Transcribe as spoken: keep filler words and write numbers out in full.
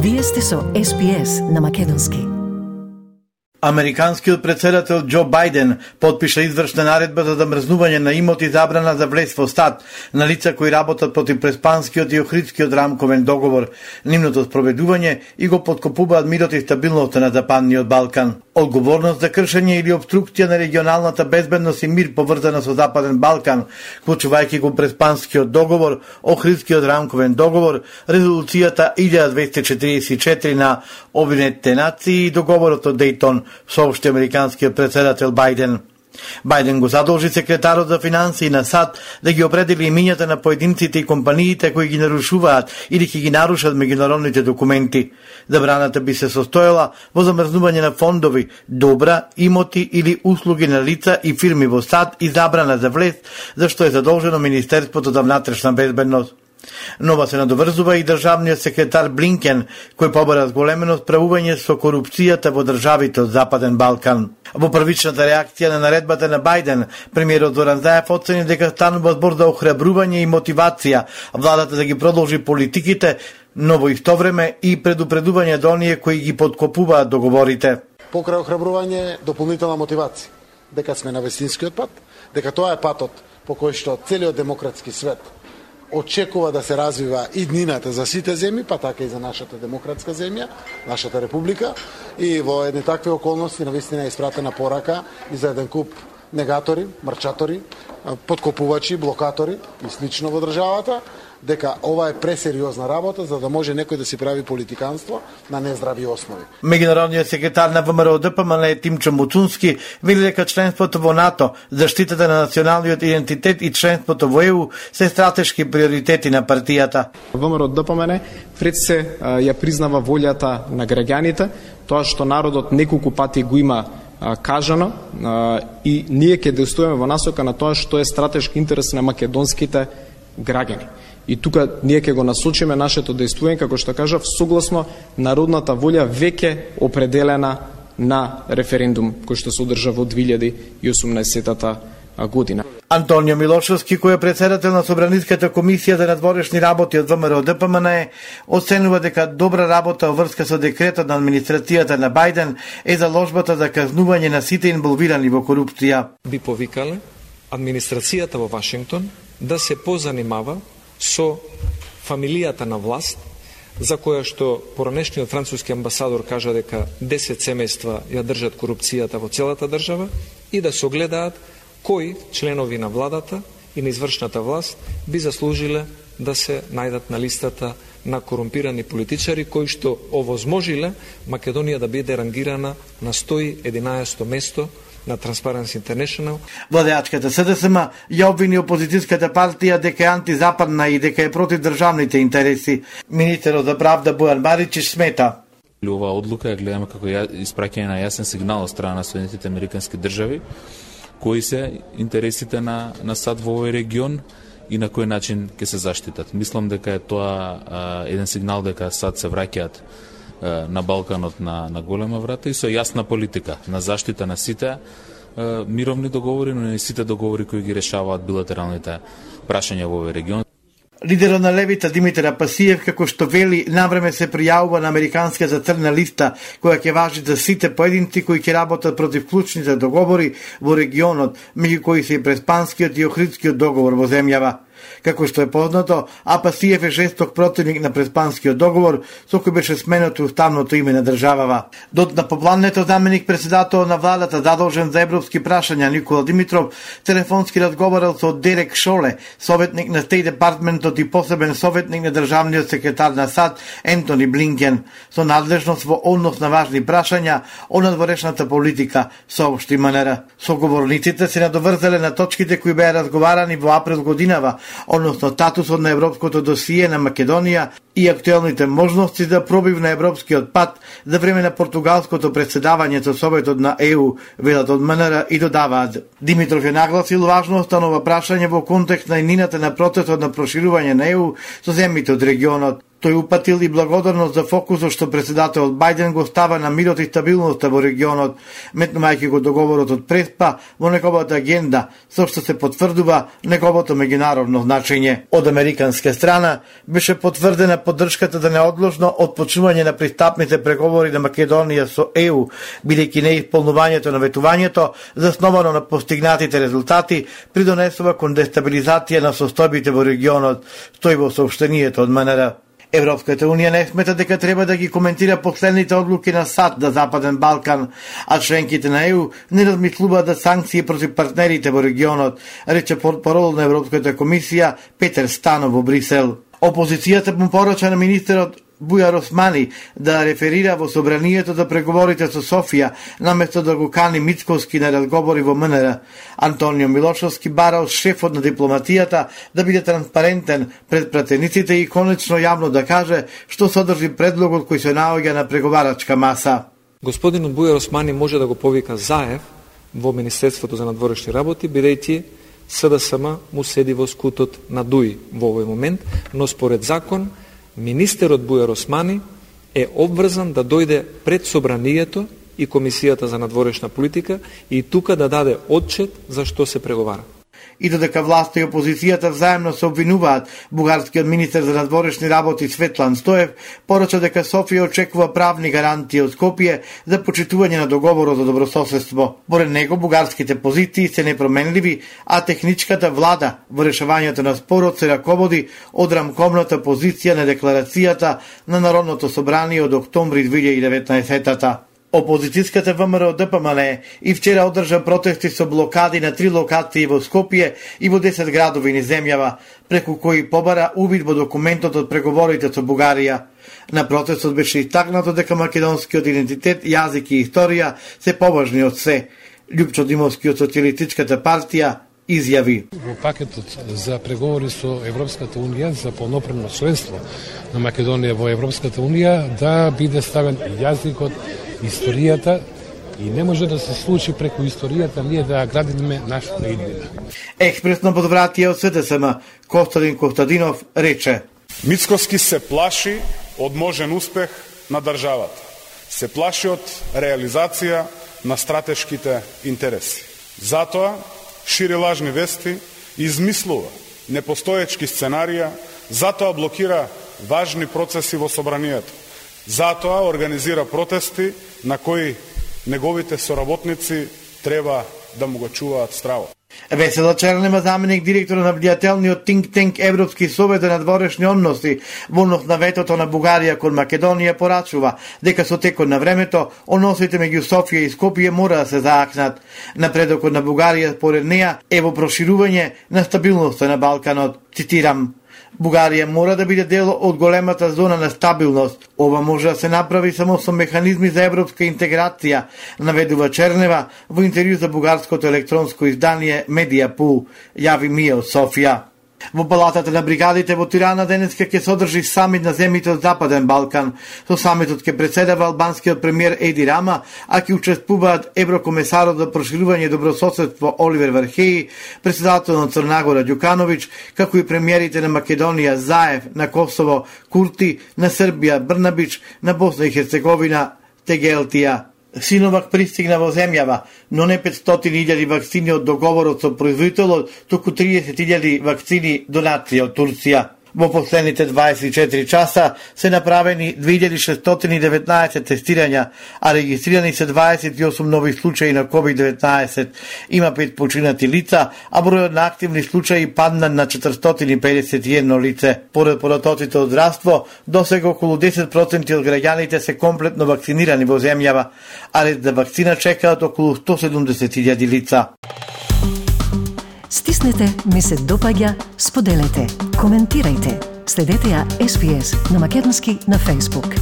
Вие сте со Ес Би Ес на македонски. Американскиот председател Џо Бајден потпиша извршна наредба за замрзнување на имоти, забрана за влез во САД на лица кои работат против Преспанскиот и Охридскиот рамковен договор, нивното спроведување и го подкопуваат мирот и стабилноста на Западниот Балкан. Одговорност за кршење или обструкција на регионалната безбедност и мир поврзана со Западен Балкан, вклучувајќи го Преспанскиот договор, Охридскиот рамковен договор, резолуцијата илјада двесте четиридесет и четири на Обединетите нации и договорот од Дејтон, соопшти американскиот председател Бајден. Бајден го задолжи секретарот за финансии на САД да ги определи имињата на поединците и компаниите кои ги нарушуваат или ќе ги нарушат меѓународните документи. Забраната би се состоела во замрзнување на фондови, добра, имоти или услуги на лица и фирми во САД и забрана за влез, за што е задолжено Министерството за внатрешна безбедност. Нова се надоврзува и државниот секретар Блинкен, кој побара зголемено справување со корупцијата во државите од Западен Балкан. Во првичната реакција на наредбата на Бајден, премиерот Зоран Заев оцени дека станува збор за охрабрување и мотивација владата да ги продолжи политиките, но во исто време и предупредување до оние кои ги подкопуваат договорите. Покрај охрабрување, дополнителна мотивација, дека сме на вистинскиот пат, дека тоа е патот по кој што целиот демократски свет очекува да се развива иднината за сите земји, па така и за нашата демократска земја, нашата република, и во едни такви околности навистина е испратена порака и за еден куп негатори, марчатори, подкопувачи, блокатори и слично во државата, дека ова е пресериозна работа за да може некој да си прави политиканство на нездрави основи. Меѓународниот секретар на ВМРО Д П М Н Тимчо Муцунски вели дека членството во НАТО, заштитата на националниот идентитет и членството во Е У се стратешки приоритети на партијата. ВМРО Д П М Н пред се ја признава волјата на граѓаните, тоа што народот неколку пати го има кажано, и ние ќе действуваме во насока на тоа што е стратешки интерес на македонските граѓани. И тука ние ќе го насочиме нашето действување, како што кажав, согласно народната волја веќе определена на референдум кој што се одржа во две илјади и осумнаесетата година. Антонио Милошевски, кој е председател на Собраниската комисија за надворешни работи од ВМРО Д П М Н, оценува дека добра работа во врска со декретот на администрацијата на Бајден е заложбата за казнување на сите инволвирани во корупција. Би повикале администрацијата во Вашингтон да се позанимава со фамилијата на власт, за која што поранешниот француски амбасадор кажа дека десет семејства ја држат корупцијата во целата држава, и да се огледаат кои членови на владата и на извршната власт би заслужиле да се најдат на листата на корумпирани политичари кои што овозможиле Македонија да биде рангирана на сто и единаесетто место на Transparency International. Владеачката С Д С М ја обвини опозицијската партија дека е антизападна и дека е против државните интереси. Министерот за правда Бојан Маричич смета: Оваа одлука ја гледаме како испраќање на јасен сигнал од страна на Соединетите американски држави, кои се интересите на, на САД во овој регион и на кој начин ќе се заштитат. Мислам дека е тоа а, еден сигнал дека САД се враќаат на Балканот на, на голема врата и со јасна политика на заштита на сите а, мировни договори, но и сите договори кои ги решаваат билатералните прашања во овој регион. Лидерот на левица Димитар Апасиев, како што вели, навреме се пријавува на американската црна листа, која ќе важи за сите поединци кои ќе работат против клучните договори во регионот, меѓу кои се и Преспанскиот и Охридскиот договор во земјава. Како што е познато, Апасиев е жесток противник на Преспанскиот договор, со кој беше сменето уставното име на државава. Дот поплането заменик председател на владата задолжен за европски прашања Никола Димитров телефонски разговарал со Дерек Шоле, советник на Стейт департментот и посебен советник на државниот секретар на САД Ентони Блинкен, со надлежност во однос на важни прашања о надворешната политика, соопшти М Н Р. Соговорниците се надоврзале на точките кои беа разговарани во април годинава, односно статусот на европското досие на Македонија и актуелните можности за пробив на европскиот пат за време на португалското претседавање со Советот на Е У, велат од М Н Р и додаваат. Димитров е нагласил важноста на ова прашање во контекст на иднината на процесот на проширување на Е У со земјите од регионот. Тој упатил и благодарност за фокусот што председателот Бајден го става на мирот и стабилноста во регионот, метнувајќи го договорот од Преспа во неговата агенда, со што се потврдува неговото меѓународно значење. Од американска страна беше потврдена поддршката за неодложно отпочнување на пристапните преговори на Македонија со Е У, бидејќи неисполнувањето на ветувањето, засновано на постигнатите резултати, придонесува кон дестабилизација на состојбите во регионот, стои во соопштението од М Н Р. Европската унија не смета дека треба да ги коментира последните одлуки на САД на Западен Балкан, а членките на Е У не размислуваат да санкции против партнерите во регионот, рече портпарол на Европската комисија Петер Станов во Брисел. Опозицијата му порача на министерот Бујар Османи да реферира во собранието за преговорите со Софија, наместо да го кани Мицковски на разговори во М Н Р. Антонио Милошовски барал шефот на дипломатијата да биде транспарентен пред пратениците и конечно јавно да каже што содржи предлогот кој се наоѓа на преговарачка маса. Господинот Бујар Османи може да го повика Заев во Министерството за надворешни работи, бидејќи С Д С М му седи во скутот на Дуи во овој момент, но според закон министерот Бујар Османи е обврзан да дојде пред собранието и Комисијата за надворешна политика и тука да даде отчет за што се преговара. И додека власта и опозицијата взаемно се обвинуваат, бугарскиот министер за надворешни работи Светлан Стоев порача дека Софија очекува правни гарантии од Скопје за почитување на договорот за добрососедство. Поред него бугарските позиции се непроменливи, а техничката влада во решавањето на спорот се раководи од рамковната позиција на декларацијата на Народното собрание од октомври две илјади и деветнаесетта. Опозицијската ВМРО Д П М Н и вчера одржа протести со блокади на три локации во Скопје и во десет градови низ земјава, преку кои побара увид во документот од преговорите со Бугарија. На протестот беше истакнато дека македонскиот идентитет, јазик и историја се поважни од се. Љупчо Димовски од Социјалистичката партија изјави: Во пакетот за преговори со Европската унија за полноправно членство на Македонија во Европската унија да биде ставен јазикот, историјата, и не може да се случи преку историјата ние да градиме нашата иднина. Експресно подвратие од С Д С М Костадин Костадинов рече: Мицковски се плаши од можен успех на државата. Се плаши од реализација на стратешките интереси. Затоа шири лажни вести, измислува непостоечки сценарија, затоа блокира важни процеси во собранието. Затоа организира протести на кои неговите соработници треба да му го чуваат страво. Весела Чернема, заменик директор на влијателниот think tank Европски совет за надворешни односи, во однос на ветото на Бугарија кон Македонија, порачува дека со текот на времето односите меѓу Софија и Скопје мора да се заакнат. Напредокот на Бугарија според неа е во проширување на стабилноста на Балканот. Цитирам: Бугарија мора да биде дел од големата зона на стабилност. Ова може да се направи само со механизми за европска интеграција, наведува Чернева во интервју за бугарското електронско издание Медиапул, јави Мија од Софија. Во палатата на бригадите во Тирана денеска ќе содржи самит на земјите од Западен Балкан. Со самитот ќе председава албанскиот премиер Еди Рама, а ќе учествуваат еврокомесарот за проширување и добрососедство Оливер Вархеи, председател на Црнагора Ѓукановиќ, како и премиерите на Македонија Заев, на Косово Курти, на Србија Брнабич, на Босна и Херцеговина Тегелтија. Синовак пристигна во земјава, но не петстотини илјади вакцини од договорот со производителот, туку триесет илјади вакцини донација од Турција. Во последните дваесет и четири часа се направени две илјади шестстотини и деветнаесет тестирања, а регистрирани се дваесет и осум нови случаи на ковид деветнаесет. Има пет починати лица, а бројот на активни случаи падна на четиристотини и педесет и едно лице. Поред податоците од здравство, досега околу десет проценти од граѓаните се комплетно вакцинирани во земјава, а ред за вакцина чекаат околу сто седумдесет илјади лица. Стиснете, ми се допаѓа, споделете, коментирајте. Следете ја Ес Би Ес на македонски на Facebook.